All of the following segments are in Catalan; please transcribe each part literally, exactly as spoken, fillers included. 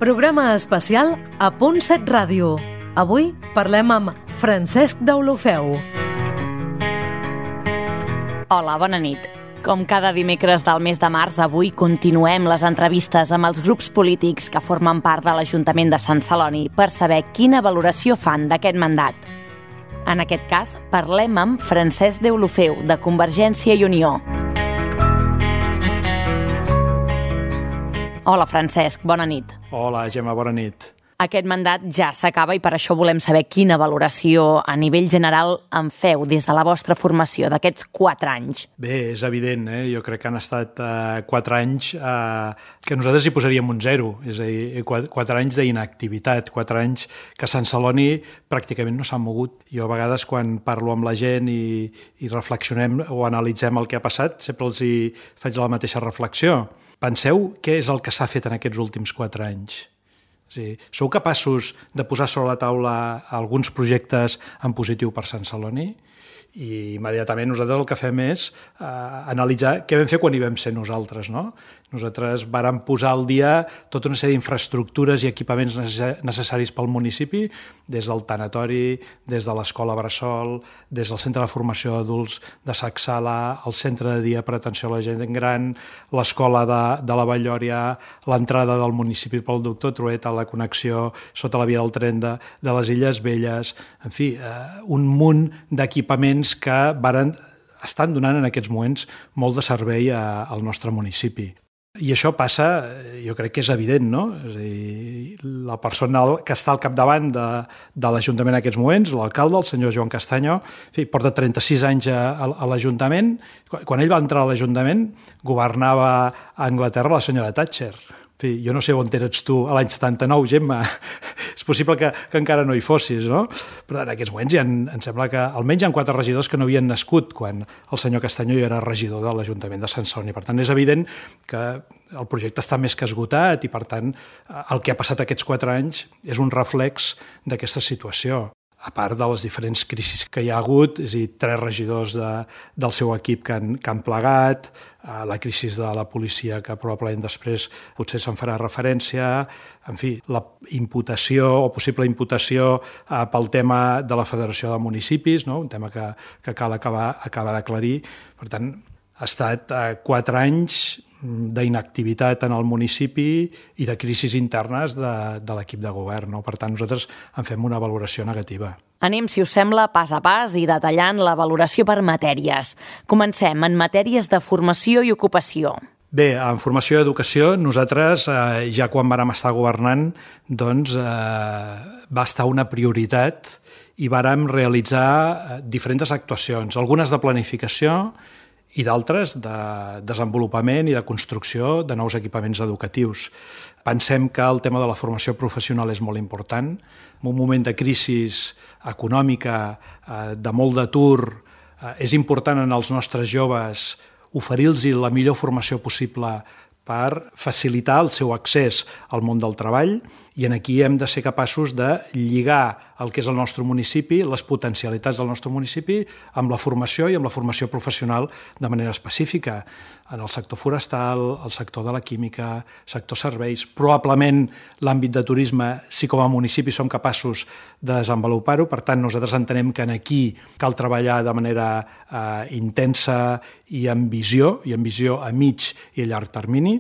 Programa especial a Punt set Ràdio. Avui parlem amb Francesc Deulofeu. Hola, bona nit. Com cada dimecres del mes de març, avui continuem les entrevistes amb els grups polítics que formen part de l'Ajuntament de Sant Celoni per saber quina valoració fan d'aquest mandat. En aquest cas, parlem amb Francesc Deulofeu, de Convergència i Unió. Hola, Francesc, bona nit. Hola, Gemma, bona nit. Aquest mandat ja s'acaba i per això volem saber quina valoració a nivell general en feu des de la vostra formació d'aquests quatre anys. Bé, és evident, eh? Jo crec que han estat eh, quatre anys eh, que nosaltres hi posaríem un zero, és a dir, quatre, quatre anys d'inactivitat, quatre anys que Sant Celoni pràcticament no s'han mogut. Jo a vegades quan parlo amb la gent i, i reflexionem o analitzem el que ha passat, sempre els hi faig la mateixa reflexió. Penseu què és el que s'ha fet en aquests últims quatre anys. Sí. Sou capaços de posar sobre la taula alguns projectes en positiu per Sant Celoni? I immediatament nosaltres el que fem és eh, analitzar què vam fer quan hi vam ser nosaltres, no? Nosaltres vàrem posar al dia tota una sèrie d'infraestructures i equipaments necessaris pel municipi, des del tanatori, des de l'escola Bressol, des del centre de formació d'adults de Sacsala, el centre de dia per atenció a la gent gran, l'escola de, de la Vallòria, l'entrada del municipi pel doctor Trueta, la connexió sota la via del tren de, de les Illes Velles, en fi, eh, un munt d'equipaments que varen, estan donant en aquests moments molt de servei a, al nostre municipi. I això passa, jo crec que és evident, no? És a dir, la persona que està al capdavant de, de l'Ajuntament en aquests moments, l'alcalde, el senyor Joan Castanyo, en fi, porta trenta-sis anys a, a l'Ajuntament. Quan ell va entrar a l'Ajuntament, governava a Anglaterra la senyora Thatcher. En fi, jo no sé on eres tu a l'any setanta-nou, Gemma. És possible que, que encara no hi fossis, no? Però en aquests moments ja en, em sembla que almenys hi ha quatre regidors que no havien nascut quan el senyor Castanyo ja era regidor de l'Ajuntament de Sant Celoni. Per tant, és evident que el projecte està més que esgotat i, per tant, el que ha passat aquests quatre anys és un reflex d'aquesta situació. A part de les diferents crisis que hi ha hagut, és a dir, tres regidors de, del seu equip que han, que han plegat, la crisi de la policia que probablement després potser se'n farà referència, en fi, la imputació o possible imputació eh, pel tema de la Federació de Municipis, no? Un tema que, que cal acabar, acabar d'aclarir. Per tant, ha estat eh, quatre anys d'inactivitat en el municipi i de crisis internes de, de l'equip de govern, no? Per tant, nosaltres en fem una valoració negativa. Anem, si us sembla, pas a pas i detallant la valoració per matèries. Comencem en matèries de formació i ocupació. Bé, en formació i educació, nosaltres, eh, ja quan vàrem estar governant, doncs eh, va estar una prioritat i vàrem realitzar diferents actuacions, algunes de planificació i d'altres de desenvolupament i de construcció de nous equipaments educatius. Pensem que el tema de la formació professional és molt important. En un moment de crisi econòmica, de molt d'atur, és important en els nostres joves oferir-los la millor formació possible per facilitar el seu accés al món del treball, i en aquí hem de ser capaços de lligar el que és el nostre municipi, les potencialitats del nostre municipi, amb la formació i amb la formació professional de manera específica, en el sector forestal, el sector de la química, sector serveis. Probablement l'àmbit de turisme, si com a municipi som capaços de desenvolupar-ho, per tant nosaltres entenem que aquí cal treballar de manera eh, intensa i amb visió, i amb visió a mig i a llarg termini.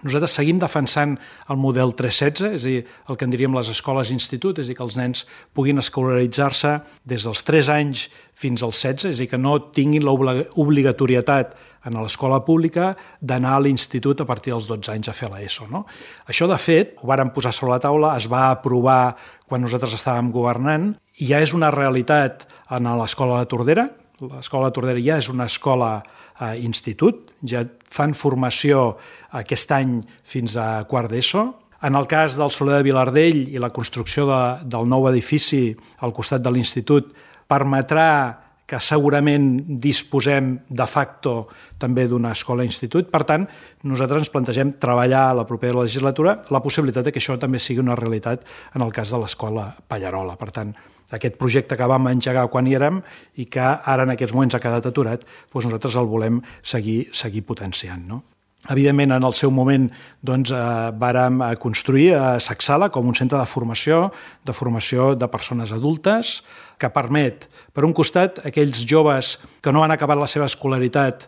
Nosaltres seguim defensant el model tres setze, és a dir, el que en diríem les escoles-institut, és a dir, que els nens puguin escolaritzar-se des dels tres anys fins als setze, és a dir, que no tinguin l'obligatorietat en l'escola pública d'anar a l'institut a partir dels dotze anys a fer l'ESO, no? Això, de fet, ho vàrem posar sobre la taula, es va aprovar quan nosaltres estàvem governant, i ja és una realitat en l'escola de Tordera. L'escola de Tordera ja és una escola eh, institut, ja fan formació aquest any fins a quart d'ESO. En el cas del Soler de Vilardell i la construcció de, del nou edifici al costat de l'institut permetrà que segurament disposem de facto també d'una escola-institut. Per tant, nosaltres ens plantegem treballar a la propera legislatura la possibilitat que això també sigui una realitat en el cas de l'escola Pallarola. Per tant, aquest projecte que vam engegar quan hi érem i que ara en aquests moments ha quedat aturat, doncs nosaltres el volem seguir, seguir potenciant, no? Evidentment, en el seu moment doncs, eh, vàrem construir a Sacsala com un centre de formació, de formació de persones adultes, que permet, per un costat, aquells joves que no han acabat la seva escolaritat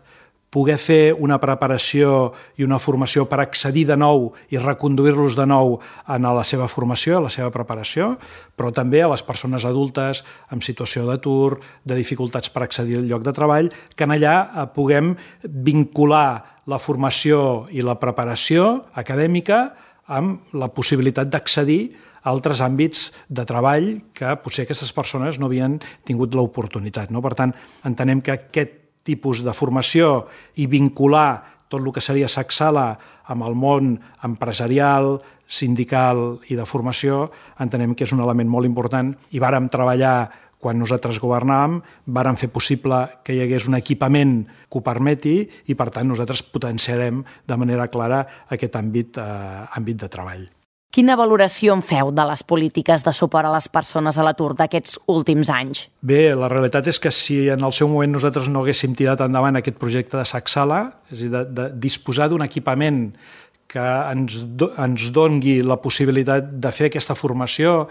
poder fer una preparació i una formació per accedir de nou i reconduir-los de nou a la seva formació, a la seva preparació, però també a les persones adultes en situació d'atur, de dificultats per accedir al lloc de treball, que en allà puguem vincular la formació i la preparació acadèmica amb la possibilitat d'accedir a altres àmbits de treball que potser aquestes persones no havien tingut l'oportunitat. No? Per tant, entenem que aquest tipus de formació i vincular tot el que seria Sacsala amb el món empresarial, sindical i de formació, entenem que és un element molt important i vàrem treballar quan nosaltres governàvem, vàrem fer possible que hi hagués un equipament que ho permeti i, per tant, nosaltres potenciarem de manera clara aquest àmbit, eh, àmbit de treball. Quina valoració en feu de les polítiques de suport a les persones a l'atur d'aquests últims anys? Bé, la realitat és que si en el seu moment nosaltres no haguéssim tirat endavant aquest projecte de Sacsala, és a dir, de, de disposar d'un equipament que ens, do, ens dongui la possibilitat de fer aquesta formació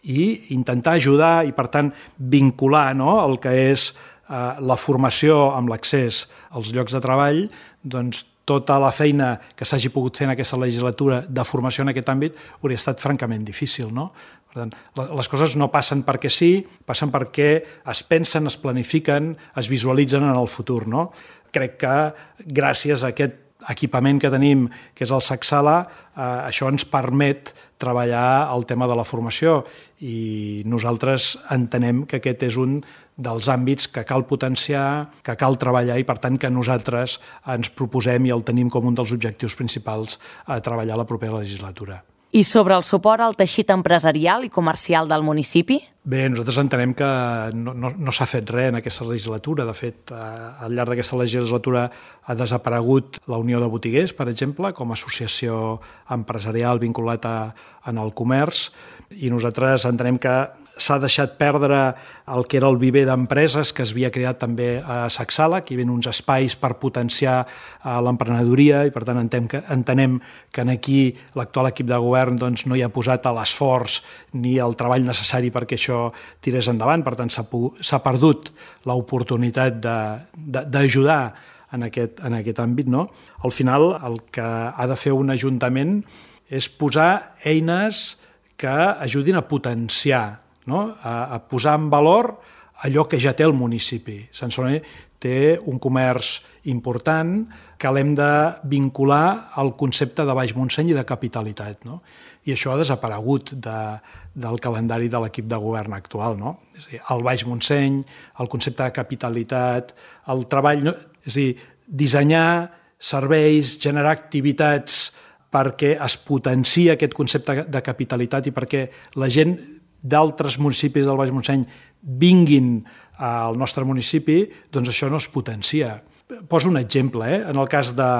i intentar ajudar i, per tant, vincular no, el que és eh, la formació amb l'accés als llocs de treball, doncs tota la feina que s'hagi pogut fer en aquesta legislatura de formació en aquest àmbit hauria estat francament difícil, no? Per tant, les coses no passen perquè sí, passen perquè es pensen, es planifiquen, es visualitzen en el futur, no? Crec que gràcies a aquest equipament que tenim, que és el Sacsala, eh, això ens permet treballar el tema de la formació i nosaltres entenem que aquest és un dels àmbits que cal potenciar, que cal treballar i, per tant, que nosaltres ens proposem i el tenim com un dels objectius principals a treballar la propera legislatura. I sobre el suport al teixit empresarial i comercial del municipi? Bé, nosaltres entenem que no, no, no s'ha fet res en aquesta legislatura. De fet, al llarg d'aquesta legislatura ha desaparegut la Unió de Botiguers, per exemple, com a associació empresarial vinculat a, en el comerç, i nosaltres entenem que s'ha deixat perdre el que era el viver d'empreses que es havia creat també a Sacsala, que hi havia uns espais per potenciar l'emprenedoria i, per tant, entenem que, entenem que aquí l'actual equip de govern doncs, no hi ha posat l'esforç ni el treball necessari perquè això tirés endavant. Per tant, s'ha perdut l'oportunitat d'ajudar en aquest, en aquest àmbit. No? Al final, el que ha de fer un ajuntament és posar eines que ajudin a potenciar, no? a, a posar en valor allò que ja té el municipi. Sant Celoni té un comerç important que l'hem de vincular al concepte de Baix Montseny i de capitalitat. No? I això ha desaparegut de, del calendari de l'equip de govern actual. No? És a dir, el Baix Montseny, el concepte de capitalitat, el treball... No? És a dir, dissenyar serveis, generar activitats perquè es potenciï aquest concepte de capitalitat i perquè la gent d'altres municipis del Baix Montseny vinguin al nostre municipi, doncs això no es potencia. Poso un exemple, eh? En el cas de,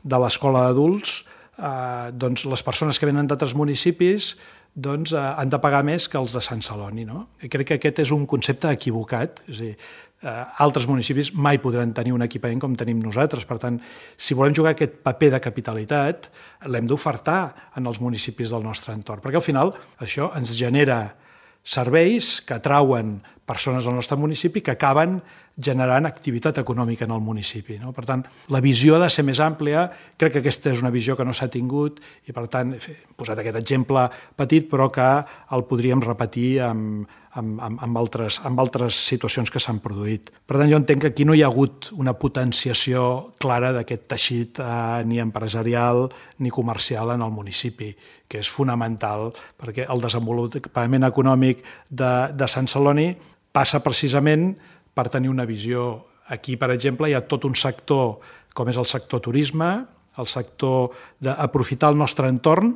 de l'escola d'adults, eh, doncs les persones que venen d'altres municipis doncs, eh, han de pagar més que els de Sant Celoni. No? I crec que aquest és un concepte equivocat, és a dir, eh, altres municipis mai podran tenir un equipament com tenim nosaltres. Per tant, si volem jugar aquest paper de capitalitat, l'hem d'ofertar en els municipis del nostre entorn, perquè al final això ens genera serveis que atrauen persones al nostre municipi que acaben generant activitat econòmica en el municipi. No? Per tant, la visió ha de ser més àmplia, crec que aquesta és una visió que no s'ha tingut i, per tant, he posat aquest exemple petit, però que el podríem repetir amb, amb, amb, amb, altres, amb altres situacions que s'han produït. Per tant, jo entenc que aquí no hi ha hagut una potenciació clara d'aquest teixit eh, ni empresarial ni comercial en el municipi, que és fonamental perquè el desenvolupament econòmic de, de Sant Celoni passa precisament per tenir una visió. Aquí, per exemple, hi ha tot un sector, com és el sector turisme, el sector d'aprofitar el nostre entorn.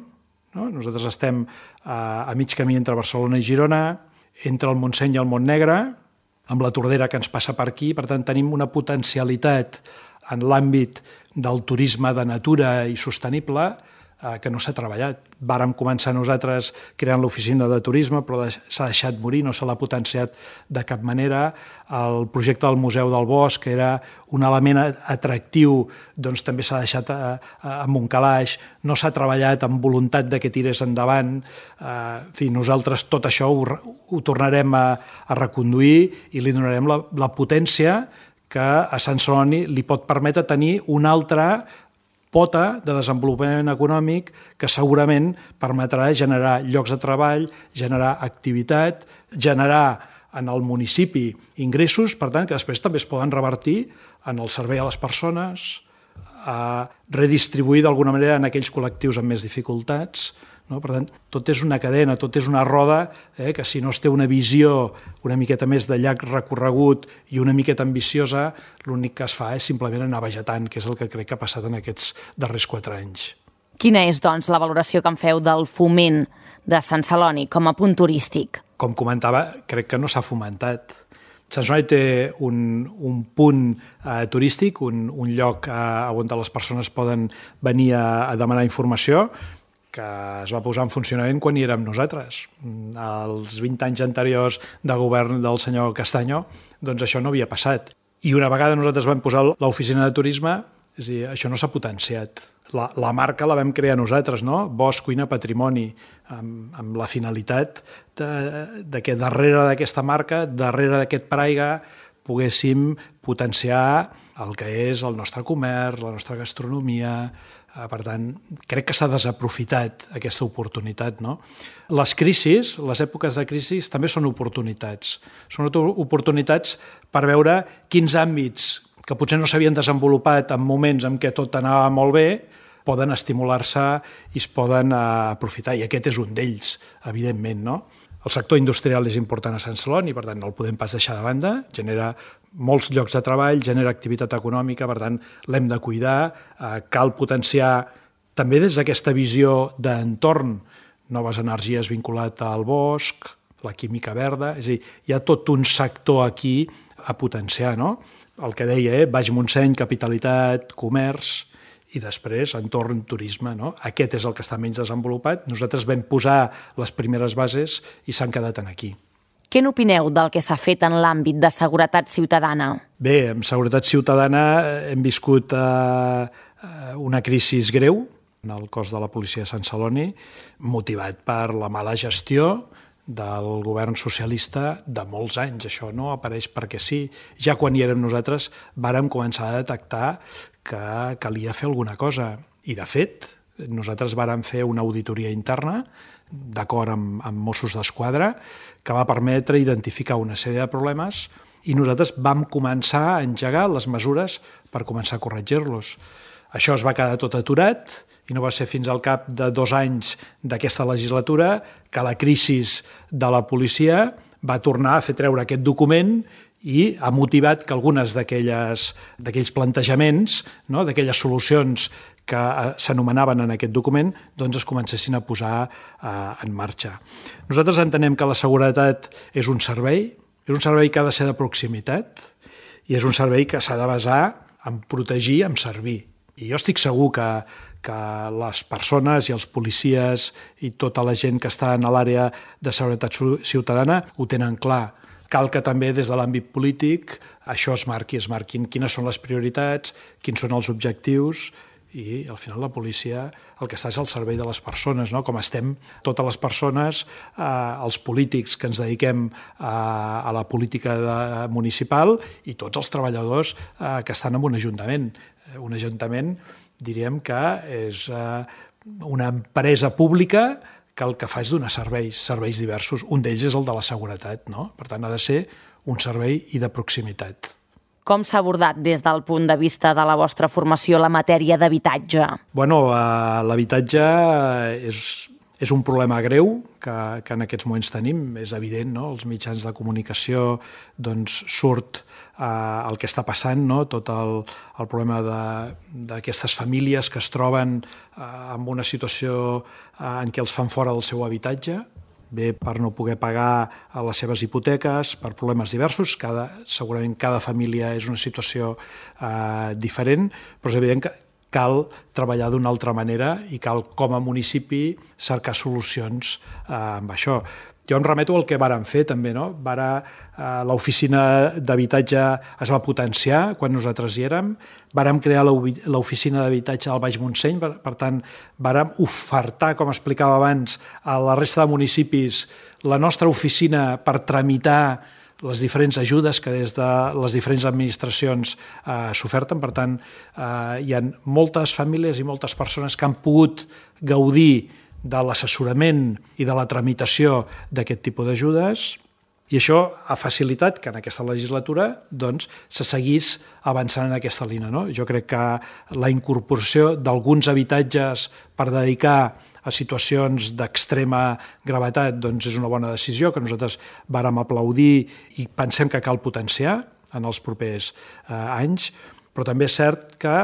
No? Nosaltres estem a, a mig camí entre Barcelona i Girona, entre el Montseny i el Montnegre, amb la Tordera que ens passa per aquí. Per tant, tenim una potencialitat en l'àmbit del turisme de natura i sostenible que no s'ha treballat. Vàrem començar nosaltres creant l'oficina de turisme, però s'ha deixat morir, no se l'ha potenciat de cap manera. El projecte del Museu del Bosc, que era un element atractiu, doncs també s'ha deixat amb un calaix, no s'ha treballat amb voluntat de que tirés endavant. En fi, nosaltres tot això ho, ho tornarem a, a reconduir i li donarem la, la potència que a Sant Celoni li pot permetre tenir una altra pota de desenvolupament econòmic que segurament permetrà generar llocs de treball, generar activitat, generar en el municipi ingressos, per tant, que després també es poden revertir en el servei a les persones, a redistribuir d'alguna manera en aquells col·lectius amb més dificultats. No? Per tant, tot és una cadena, tot és una roda, eh, que si no es té una visió una miqueta més de llarg recorregut i una miqueta ambiciosa, l'únic que es fa és simplement anar vegetant, que és el que crec que ha passat en aquests darrers quatre anys. Quina és, doncs, la valoració que en feu del foment de Sant Celoni com a punt turístic? Com comentava, crec que no s'ha fomentat. Sant Celoni té un, un punt eh, turístic, un, un lloc eh, on les persones poden venir a, a demanar informació, que es va posar en funcionament quan hi érem nosaltres. Els vint anys anteriors de govern del senyor Castanyo, doncs això no havia passat. I una vegada nosaltres vam posar l'oficina de turisme, és a dir, això no s'ha potenciat. La, la marca la vam crear nosaltres, no? Bosc, cuina, patrimoni, amb, amb la finalitat de, de que darrere d'aquesta marca, darrere d'aquest paraigua, poguéssim potenciar el que és el nostre comerç, la nostra gastronomia. Per tant, crec que s'ha desaprofitat aquesta oportunitat. No? Les crisis, les èpoques de crisi, també són oportunitats. Són oportunitats per veure quins àmbits que potser no s'havien desenvolupat en moments en què tot anava molt bé, poden estimular-se i es poden aprofitar. I aquest és un d'ells, evidentment. No? El sector industrial és important a Sant Celoni, per tant, no el podem pas deixar de banda. Genera molts llocs de treball, genera activitat econòmica, per tant, l'hem de cuidar. Eh, cal potenciar també des d'aquesta visió d'entorn noves energies vinculat al bosc, la química verda, és a dir, hi ha tot un sector aquí a potenciar, no? El que deia, eh? Baix Montseny, capitalitat, comerç, i després entorn turisme. No? Aquest és el que està menys desenvolupat. Nosaltres vam posar les primeres bases i s'han quedat aquí. Què n'opineu del que s'ha fet en l'àmbit de seguretat ciutadana? Bé, en seguretat ciutadana hem viscut eh, una crisi greu en el cos de la policia de Sant Celoni, motivat per la mala gestió del govern socialista de molts anys. Això no apareix perquè sí. Ja quan hi érem nosaltres vàrem començar a detectar que calia fer alguna cosa. I, de fet, nosaltres vàrem fer una auditoria interna d'acord amb, amb Mossos d'Esquadra que va permetre identificar una sèrie de problemes i nosaltres vam començar a engegar les mesures per començar a corregir-los. Això es va quedar tot aturat i no va ser fins al cap de dos anys d'aquesta legislatura que la crisi de la policia va tornar a fer treure aquest document i ha motivat que algunes d'aquells plantejaments, no, d'aquelles solucions que s'anomenaven en aquest document, doncs es comencessin a posar eh, en marxa. Nosaltres entenem que la seguretat és un servei, és un servei que ha de ser de proximitat i és un servei que s'ha de basar en protegir, en servir. I jo estic segur que, que les persones i els policies i tota la gent que està en l'àrea de seguretat ciutadana ho tenen clar. Cal que també des de l'àmbit polític això es marqui, es marquin quines són les prioritats, quins són els objectius i al final la policia el que està és al servei de les persones, no? Com estem totes les persones, eh, els polítics que ens dediquem a, a la política de, municipal i tots els treballadors eh, que estan en un ajuntament. Un ajuntament diríem que és eh, una empresa pública que el que fa és donar serveis, serveis diversos. Un d'ells és el de la seguretat, no? Per tant, ha de ser un servei i de proximitat. Com s'ha abordat des del punt de vista de la vostra formació la matèria d'habitatge? Bueno, eh, l'habitatge és, és un problema greu que, que en aquests moments tenim, és evident, no? Els mitjans de comunicació doncs, surt eh, el que està passant, no? Tot el, el problema d'aquestes famílies que es troben eh, en una situació eh, en què els fan fora del seu habitatge, bé per no poder pagar les seves hipoteques, per problemes diversos. Cada, segurament cada família és una situació eh, diferent, però és evident que cal treballar d'una altra manera i cal, com a municipi, cercar solucions eh, amb això. Jo em remeto al que vàrem fer també, no? Vara, eh, l'oficina d'habitatge es va potenciar quan nosaltres hi érem, vàrem crear l'oficina d'habitatge al Baix Montseny, per, per tant, vàrem ofertar, com explicava abans, a la resta de municipis la nostra oficina per tramitar les diferents ajudes que des de les diferents administracions eh, s'oferten. Per tant, eh, hi ha moltes famílies i moltes persones que han pogut gaudir de l'assessorament i de la tramitació d'aquest tipus d'ajudes, i això ha facilitat que en aquesta legislatura doncs, se seguís avançant en aquesta línia. No? Jo crec que la incorporació d'alguns habitatges per dedicar a situacions d'extrema gravetat doncs, és una bona decisió que nosaltres vàrem aplaudir i pensem que cal potenciar en els propers eh, anys, però també és cert que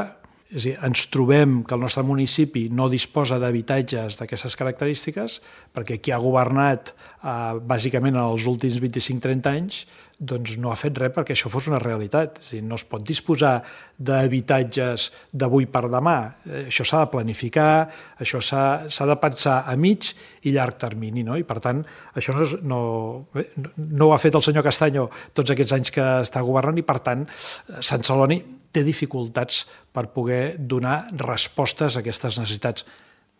és a dir, ens trobem que el nostre municipi no disposa d'habitatges d'aquestes característiques perquè qui ha governat eh, bàsicament en els últims vint-i-cinc trenta anys doncs no ha fet res perquè això fos una realitat. És a dir, no es pot disposar d'habitatges d'avui per demà. Això s'ha de planificar, això s'ha de pensar a mig i llarg termini, no? I per tant, això no, no, no ho ha fet el senyor Castanyo tots aquests anys que està governant i per tant, Sant Celoni té dificultats per poder donar respostes a aquestes necessitats,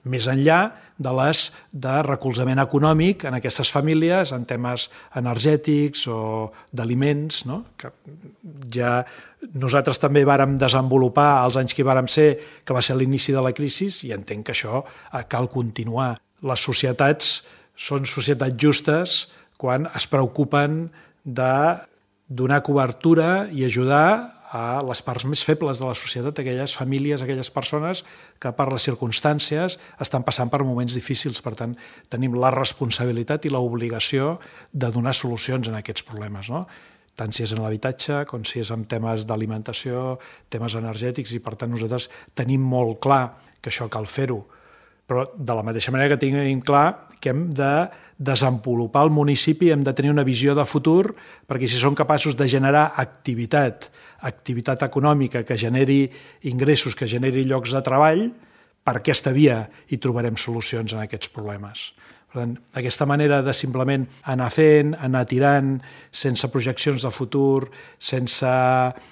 més enllà de les de recolzament econòmic en aquestes famílies, en temes energètics o d'aliments, no? Que ja nosaltres també vàrem desenvolupar els anys que hi vàrem ser, que va ser l'inici de la crisi, i entenc que això cal continuar. Les societats són societats justes quan es preocupen de donar cobertura i ajudar a les parts més febles de la societat, aquelles famílies, aquelles persones que per les circumstàncies estan passant per moments difícils. Per tant, tenim la responsabilitat i l'obligació de donar solucions en aquests problemes, no? Tant si és en l'habitatge com si és en temes d'alimentació, temes energètics, i per tant nosaltres tenim molt clar que això cal fer-ho. Però de la mateixa manera que tenim clar que hem de desenvolupar el municipi, hem de tenir una visió de futur, perquè si som capaços de generar activitat, activitat econòmica que generi ingressos, que generi llocs de treball, per aquesta via hi trobarem solucions en aquests problemes. Per tant, aquesta manera de simplement anar fent, anar tirant, sense projeccions de futur, sense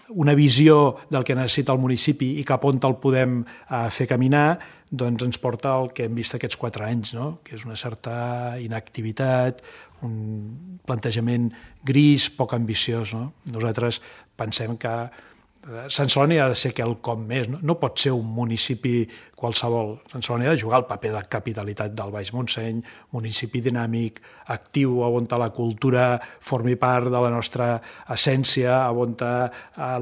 una visió del que necessita el municipi i cap on el podem eh, fer caminar, doncs ens porta al que hem vist aquests quatre anys, no? Que és una certa inactivitat, un plantejament gris, poc ambiciós. No? Nosaltres pensem que Sant Celoni ha de ser quelcom més, no? No pot ser un municipi qualsevol. Sant Celoni ha de jugar el paper de capitalitat del Baix Montseny, municipi dinàmic, actiu, on la cultura formi part de la nostra essència, on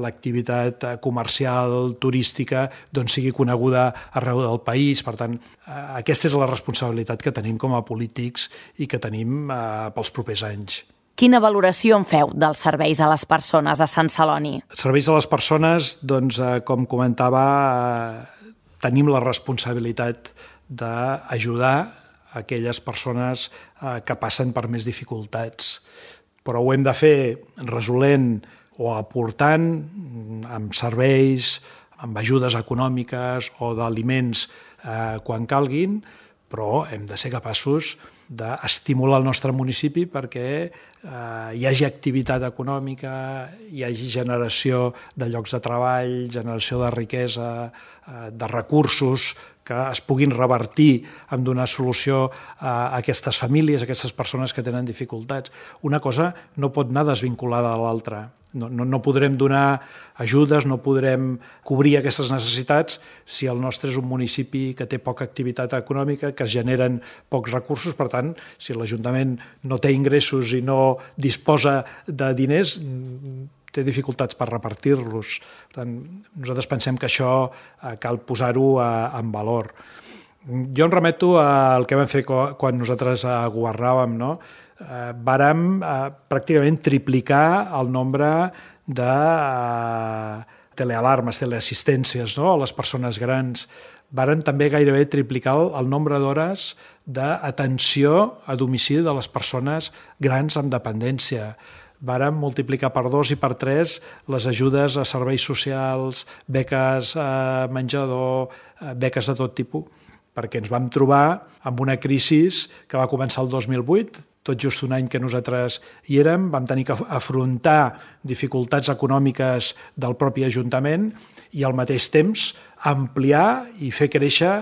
l'activitat comercial, turística, doncs sigui coneguda arreu del país. Per tant, aquesta és la responsabilitat que tenim com a polítics i que tenim pels propers anys. Quina valoració en feu dels serveis a les persones a Sant Celoni? Serveis a les persones, doncs, com comentava, tenim la responsabilitat d'ajudar aquelles persones que passen per més dificultats. Però ho hem de fer resolent o aportant amb serveis, amb ajudes econòmiques o d'aliments quan calguin, però hem de ser capaços d'estimular el nostre municipi perquè eh, hi hagi activitat econòmica, hi hagi generació de llocs de treball, generació de riquesa, eh, de recursos que es puguin revertir en donar solució a aquestes famílies, a aquestes persones que tenen dificultats. Una cosa no pot anar desvinculada de l'altra. No, no, no podrem donar ajudes, no podrem cobrir aquestes necessitats si el nostre és un municipi que té poca activitat econòmica, que es generen pocs recursos. Per tant, si l'Ajuntament no té ingressos i no disposa de diners, té dificultats per repartir-los. Per tant, nosaltres pensem que això cal posar-ho en valor. Jo em remeto al que vam fer quan nosaltres governàvem, no? Eh, vàrem eh, pràcticament triplicar el nombre de eh, telealarmes, teleassistències, no? A les persones grans. Varen també gairebé triplicar el, el nombre d'hores d'atenció a domicili de les persones grans amb dependència. vàrem multiplicar per dos i per tres les ajudes a serveis socials, beques a menjador, beques de tot tipus, perquè ens vam trobar amb una crisi que va començar el dos mil vuit, tot just un any que nosaltres hi érem, vam tenir que afrontar dificultats econòmiques del propi Ajuntament i al mateix temps ampliar i fer créixer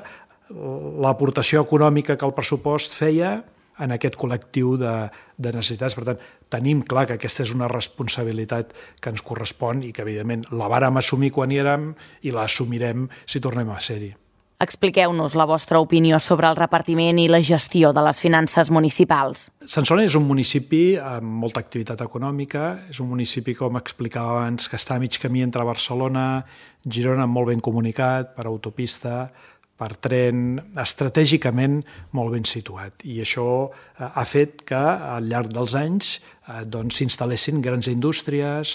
l'aportació econòmica que el pressupost feia en aquest col·lectiu de, de necessitats. Per tant, tenim clar que aquesta és una responsabilitat que ens correspon i que, evidentment, la vàrem assumir quan hi érem i l'assumirem si tornem a ser-hi. Expliqueu-nos la vostra opinió sobre el repartiment i la gestió de les finances municipals. Sant Celoni és un municipi amb molta activitat econòmica, és un municipi, com explicava abans, que està a mig camí entre Barcelona, Girona, molt ben comunicat, per autopista, per tren, estratègicament molt ben situat. I això ha fet que al llarg dels anys doncs, s'instal·lessin grans indústries,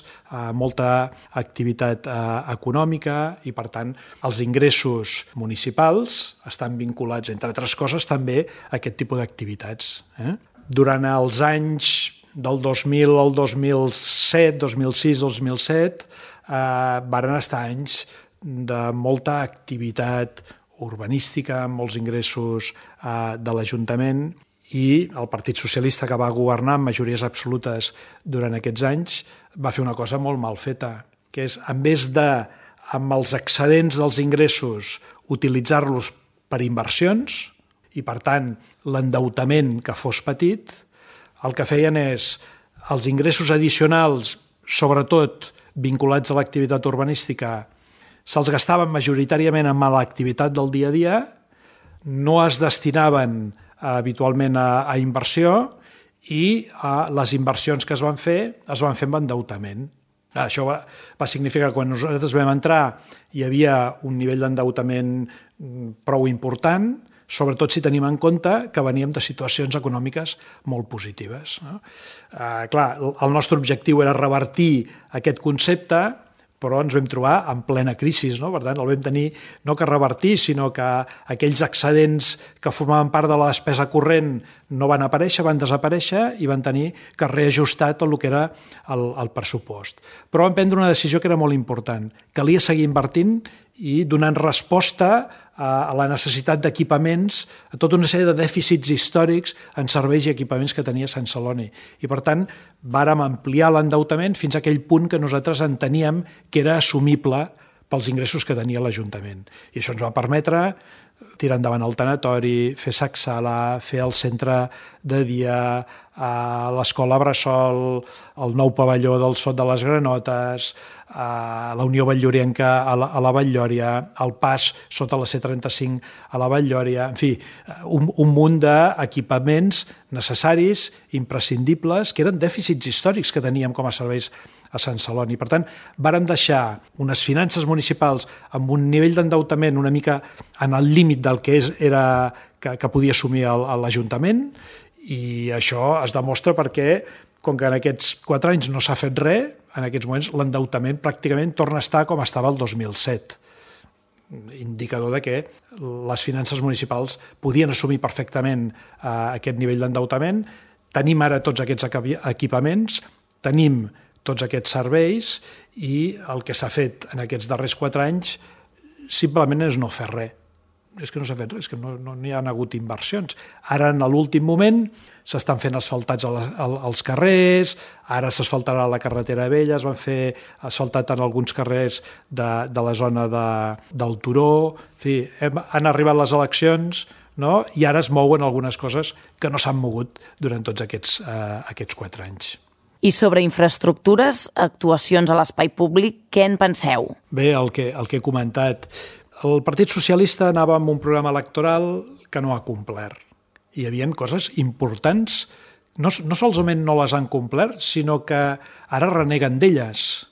molta activitat econòmica i, per tant, els ingressos municipals estan vinculats, entre altres coses, també a aquest tipus d'activitats. Eh? Durant els anys del dos mil al dos mil set, dos mil sis, dos mil set, eh, varen estar anys de molta activitat urbanística, amb molts ingressos eh, de l'Ajuntament, i el Partit Socialista, que va governar amb majories absolutes durant aquests anys, va fer una cosa molt mal feta, que és, en vez de, amb els excedents dels ingressos, utilitzar-los per inversions, i per tant l'endeutament que fos petit, el que feien és els ingressos addicionals, sobretot vinculats a l'activitat urbanística, se'ls gastaven majoritàriament amb l'activitat del dia a dia, no es destinaven habitualment a, a inversió i a les inversions que es van fer es van fer amb endeutament. Això va, va significar que quan nosaltres vam entrar hi havia un nivell d'endeutament prou important, sobretot si tenim en compte que veníem de situacions econòmiques molt positives. No? Eh, clar, el nostre objectiu era revertir aquest concepte, però ens vam trobar en plena crisi, no? Per tant, el vam tenir no que revertir, sinó que aquells excedents que formaven part de la despesa corrent no van aparèixer, van desaparèixer i van tenir que reajustar tot el que era el, el pressupost. Però vam prendre una decisió que era molt important. Calia seguir invertint i donant resposta a la necessitat d'equipaments, a tota una sèrie de dèficits històrics en serveis i equipaments que tenia Sant Celoni. I, per tant, vàrem ampliar l'endeutament fins a aquell punt que nosaltres enteníem que era assumible pels ingressos que tenia l'Ajuntament. I això ens va permetre tirar endavant el tanatori, fer Sacsala, fer el centre de dia, l'escola Bressol, el nou pavelló del Sot de les Granotes, la Unió Batllorienca a la, a la Batllòria, el pas sota la C trenta-cinc a la Batllòria, en fi, un, un munt d'equipaments necessaris, imprescindibles, que eren dèficits històrics que teníem com a serveis a Sant Celoni. Per tant, vàrem deixar unes finances municipals amb un nivell d'endeutament una mica en el límit del que és, era, que, que podia assumir l'Ajuntament, i això es demostra perquè, com que en aquests quatre anys no s'ha fet res, en aquests moments l'endeutament pràcticament torna a estar com estava el dos mil set. Indicador de que les finances municipals podien assumir perfectament eh, aquest nivell d'endeutament. Tenim ara tots aquests equipaments, tenim tots aquests serveis i el que s'ha fet en aquests darrers quatre anys simplement és no fer res. És que no s'ha fet res, és que no, no n'hi ha hagut inversions. Ara, en l'últim moment, s'estan fent asfaltats als carrers, ara s'asfaltarà la carretera vella, es van fer asfaltat en alguns carrers de, de la zona de, del Turó, en fi, hem, han arribat les eleccions, no? I ara es mouen algunes coses que no s'han mogut durant tots aquests, eh, aquests quatre anys. I sobre infraestructures, actuacions a l'espai públic, què en penseu? Bé, el que, el que he comentat. El Partit Socialista anava amb un programa electoral que no ha complert. Hi havia coses importants, no, no solament no les han complert, sinó que ara reneguen d'elles.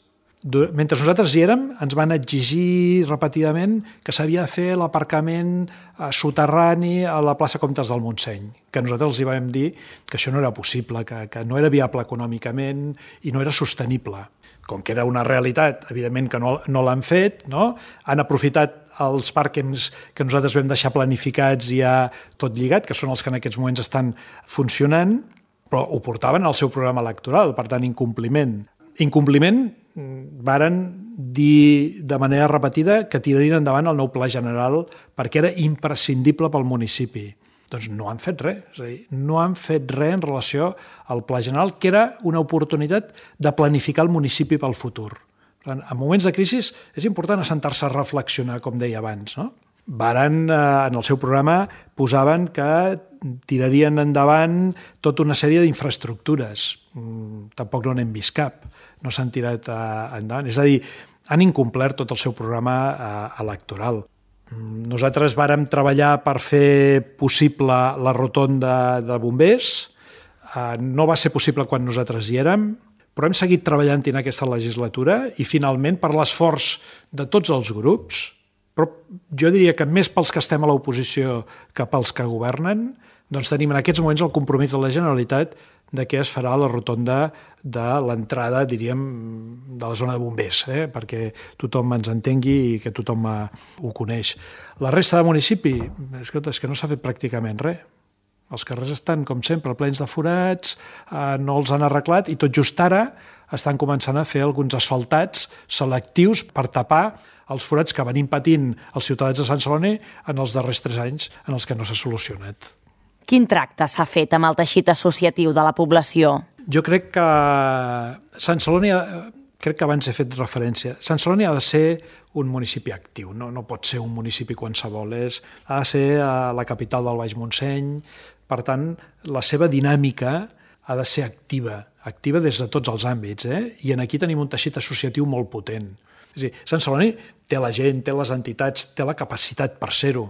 Mentre nosaltres hi érem, ens van exigir repetidament que s'havia de fer l'aparcament soterrani a la plaça Comtes del Montseny, que nosaltres els hi vam dir que això no era possible, que, que no era viable econòmicament i no era sostenible. Com que era una realitat, evidentment que no, no l'han fet, no? Han aprofitat els pàrquings que nosaltres vam deixar planificats i ja tot lligat, que són els que en aquests moments estan funcionant, però ho portaven al seu programa electoral, per tant, incompliment. Incompliment, varen dir de manera repetida que tirarien endavant el nou pla general perquè era imprescindible pel municipi. Doncs no han fet res, és a dir, no han fet res en relació al pla general, que era una oportunitat de planificar el municipi pel futur. En moments de crisi és important assentar-se a reflexionar, com deia abans, no? Varen, en el seu programa, posaven que tirarien endavant tota una sèrie d'infraestructures. Tampoc no n'hem vist cap, no s'han tirat endavant. És a dir, han incomplert tot el seu programa electoral. Nosaltres vàrem treballar per fer possible la rotonda de bombers. No va ser possible quan nosaltres hi érem, però hem seguit treballant en aquesta legislatura i, finalment, per l'esforç de tots els grups, però jo diria que més pels que estem a l'oposició que pels que governen, doncs tenim en aquests moments el compromís de la Generalitat de què es farà la rotonda de l'entrada, diríem, de la zona de bombers, eh? perquè tothom ens entengui i que tothom ho coneix. La resta de municipi, escolta, és que no s'ha fet pràcticament res. Els carrers estan, com sempre, plens de forats, eh, no els han arreglat i tot just ara estan començant a fer alguns asfaltats selectius per tapar els forats que venim patint els ciutadans de Sant Celoni en els darrers tres anys en els que no s'ha solucionat. Quin tracte s'ha fet amb el teixit associatiu de la població? Jo crec que Sant Celoni, crec que abans he fet referència, Sant Celoni ha de ser un municipi actiu, no, no pot ser un municipi qualsevol, és, ha de ser a la capital del Baix Montseny, per tant, la seva dinàmica ha de ser activa, activa des de tots els àmbits, eh? I aquí tenim un teixit associatiu molt potent. És a dir, Sant Celoni té la gent, té les entitats, té la capacitat per ser-ho.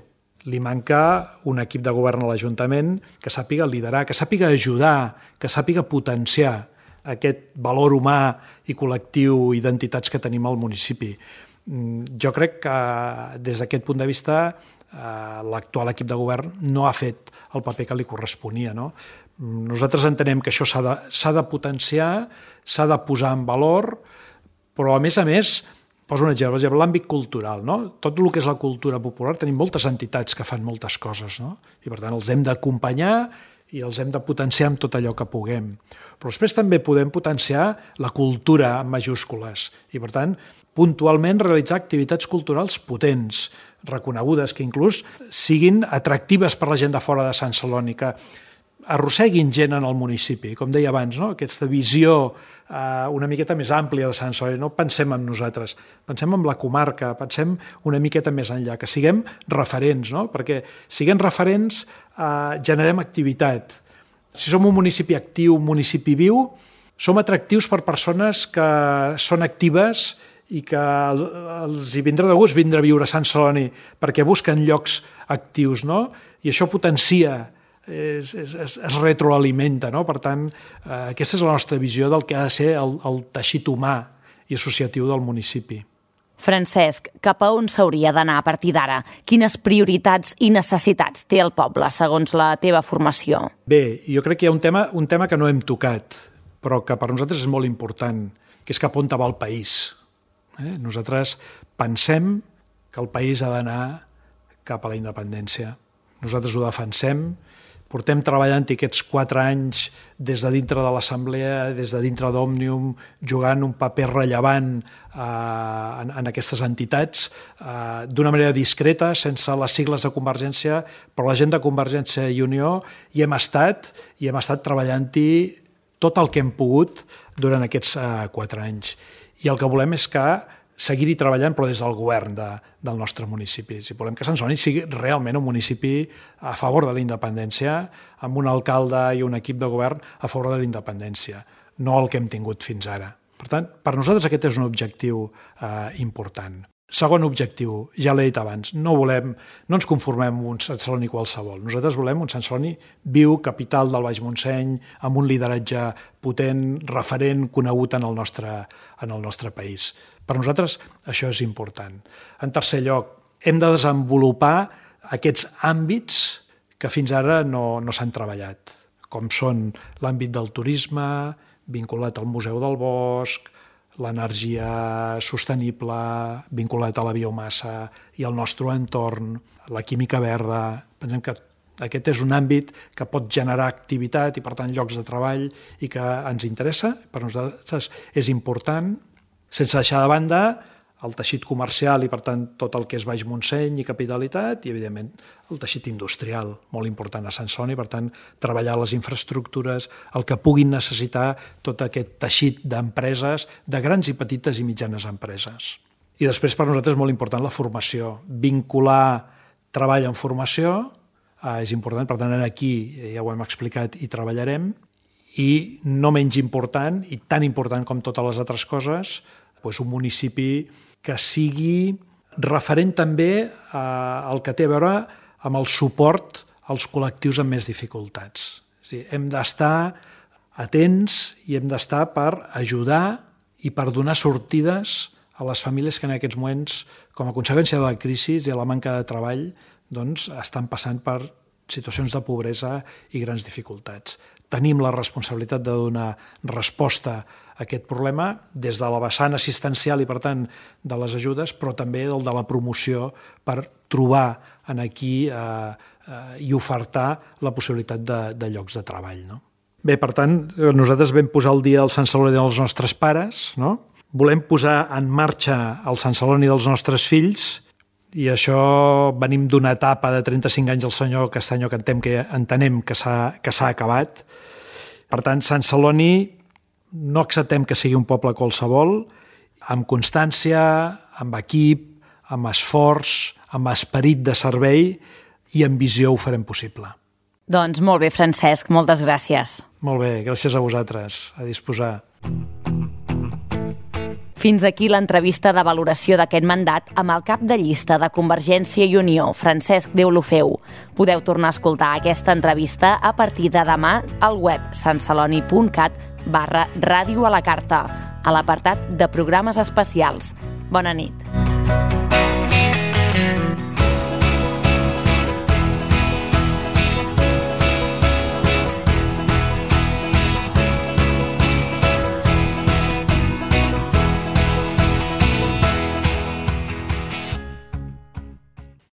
Li manca un equip de govern a l'Ajuntament que sàpiga liderar, que sàpiga ajudar, que sàpiga potenciar aquest valor humà i col·lectiu i d'entitats que tenim al municipi. Jo crec que des d'aquest punt de vista l'actual equip de govern no ha fet el paper que li corresponia, no? Nosaltres entenem que això s'ha de, s'ha de potenciar, s'ha de posar en valor, però a més a més, poso un exemple, l'àmbit cultural, no? Tot el que és la cultura popular, tenim moltes entitats que fan moltes coses, no? I per tant els hem d'acompanyar i els hem de potenciar amb tot allò que puguem. Però després també podem potenciar la cultura en majúscules i per tant puntualment realitzar activitats culturals potents, reconegudes, que inclús siguin atractives per la gent de fora de Sant Celoni, que arrosseguin gent en el municipi, com deia abans, no? Aquesta visió eh, una miqueta més àmplia de Sant Celoni. No pensem en nosaltres, pensem en la comarca, pensem una miqueta més enllà, que siguem referents, no? Perquè siguem referents eh, generem activitat. Si som un municipi actiu, un municipi viu, som atractius per persones que són actives i que els hi vindrà de gust vindre a viure a Sant Celoni perquè busquen llocs actius, no? I això potencia, es, es, es retroalimenta, no? Per tant, eh, aquesta és la nostra visió del que ha de ser el, el teixit humà i associatiu del municipi. Francesc, cap a on s'hauria d'anar a partir d'ara? Quines prioritats i necessitats té el poble, segons la teva formació? Bé, jo crec que hi ha un tema, un tema que no hem tocat, però que per nosaltres és molt important, que és cap on va el país. Eh? Nosaltres pensem que el país ha d'anar cap a la independència. Nosaltres ho defensem, portem treballant aquests quatre anys des de dintre de l'Assemblea, des de dintre d'Òmnium, jugant un paper rellevant eh, en, en aquestes entitats, eh, d'una manera discreta, sense les sigles de Convergència, però la gent de Convergència i Unió hi hem estat, i hem estat treballant-hi tot el que hem pogut durant aquests eh, quatre anys. I el que volem és que seguir-hi treballant, però des del govern de, del nostre municipi. Si volem que Sant Celoni sigui realment un municipi a favor de la independència, amb un alcalde i un equip de govern a favor de la independència, no el que hem tingut fins ara. Per tant, per nosaltres aquest és un objectiu eh, important. Segon objectiu, ja l'he dit abans, no volem, no ens conformem amb un Sant Celoni qualsevol. Nosaltres volem un Sant Celoni viu, capital del Baix Montseny, amb un lideratge potent, referent, conegut en el nostre, en el nostre país. Per nosaltres això és important. En tercer lloc, hem de desenvolupar aquests àmbits que fins ara no, no s'han treballat, com són l'àmbit del turisme, vinculat al Museu del Bosc, l'energia sostenible vinculat a la biomassa i al nostre entorn, la química verda. Pensem que Aquest és un àmbit que pot generar activitat i, per tant, llocs de treball i que ens interessa. Per nosaltres és important, sense deixar de banda el teixit comercial i, per tant, tot el que és Baix Montseny i capitalitat i, evidentment, el teixit industrial, molt important a Sant Celoni. Per tant, treballar les infraestructures, el que puguin necessitar tot aquest teixit d'empreses, de grans i petites i mitjanes empreses. I després, per nosaltres, és molt important la formació. Vincular treball en formació eh, és important, per tant, aquí ja ho hem explicat i treballarem. I no menys important, i tan important com totes les altres coses, doncs un municipi que sigui referent també al que té a veure amb el suport als col·lectius amb més dificultats. És a dir, hem d'estar atents i hem d'estar per ajudar i per donar sortides a les famílies que en aquests moments, com a conseqüència de la crisi i de la manca de treball, doncs, estan passant per situacions de pobresa i grans dificultats. Tenim la responsabilitat de donar resposta a aquest problema des de la vessant assistencial i, per tant, de les ajudes, però també del de la promoció per trobar en aquí eh, eh, i ofertar la possibilitat de, de llocs de treball. No? Bé, per tant, nosaltres vam posar el dia del Sant Celoni dels nostres pares, no? Volem posar en marxa el Sant Celoni dels nostres fills i això venim d'una etapa de trenta-cinc anys del senyor Castanyo que entenem que, entenem que s'ha que s'ha acabat. Per tant, Sant Celoni no acceptem que sigui un poble qualsevol, amb constància, amb equip, amb esforç, amb esperit de servei i amb visió ho farem possible. Doncs molt bé, Francesc, moltes gràcies. Molt bé, gràcies a vosaltres, a disposar. Fins aquí l'entrevista de valoració d'aquest mandat amb el cap de llista de Convergència i Unió, Francesc Deulofeu. Podeu tornar a escoltar aquesta entrevista a partir de demà al web santceloni.cat barra ràdio a la carta, a l'apartat de programes especials. Bona nit.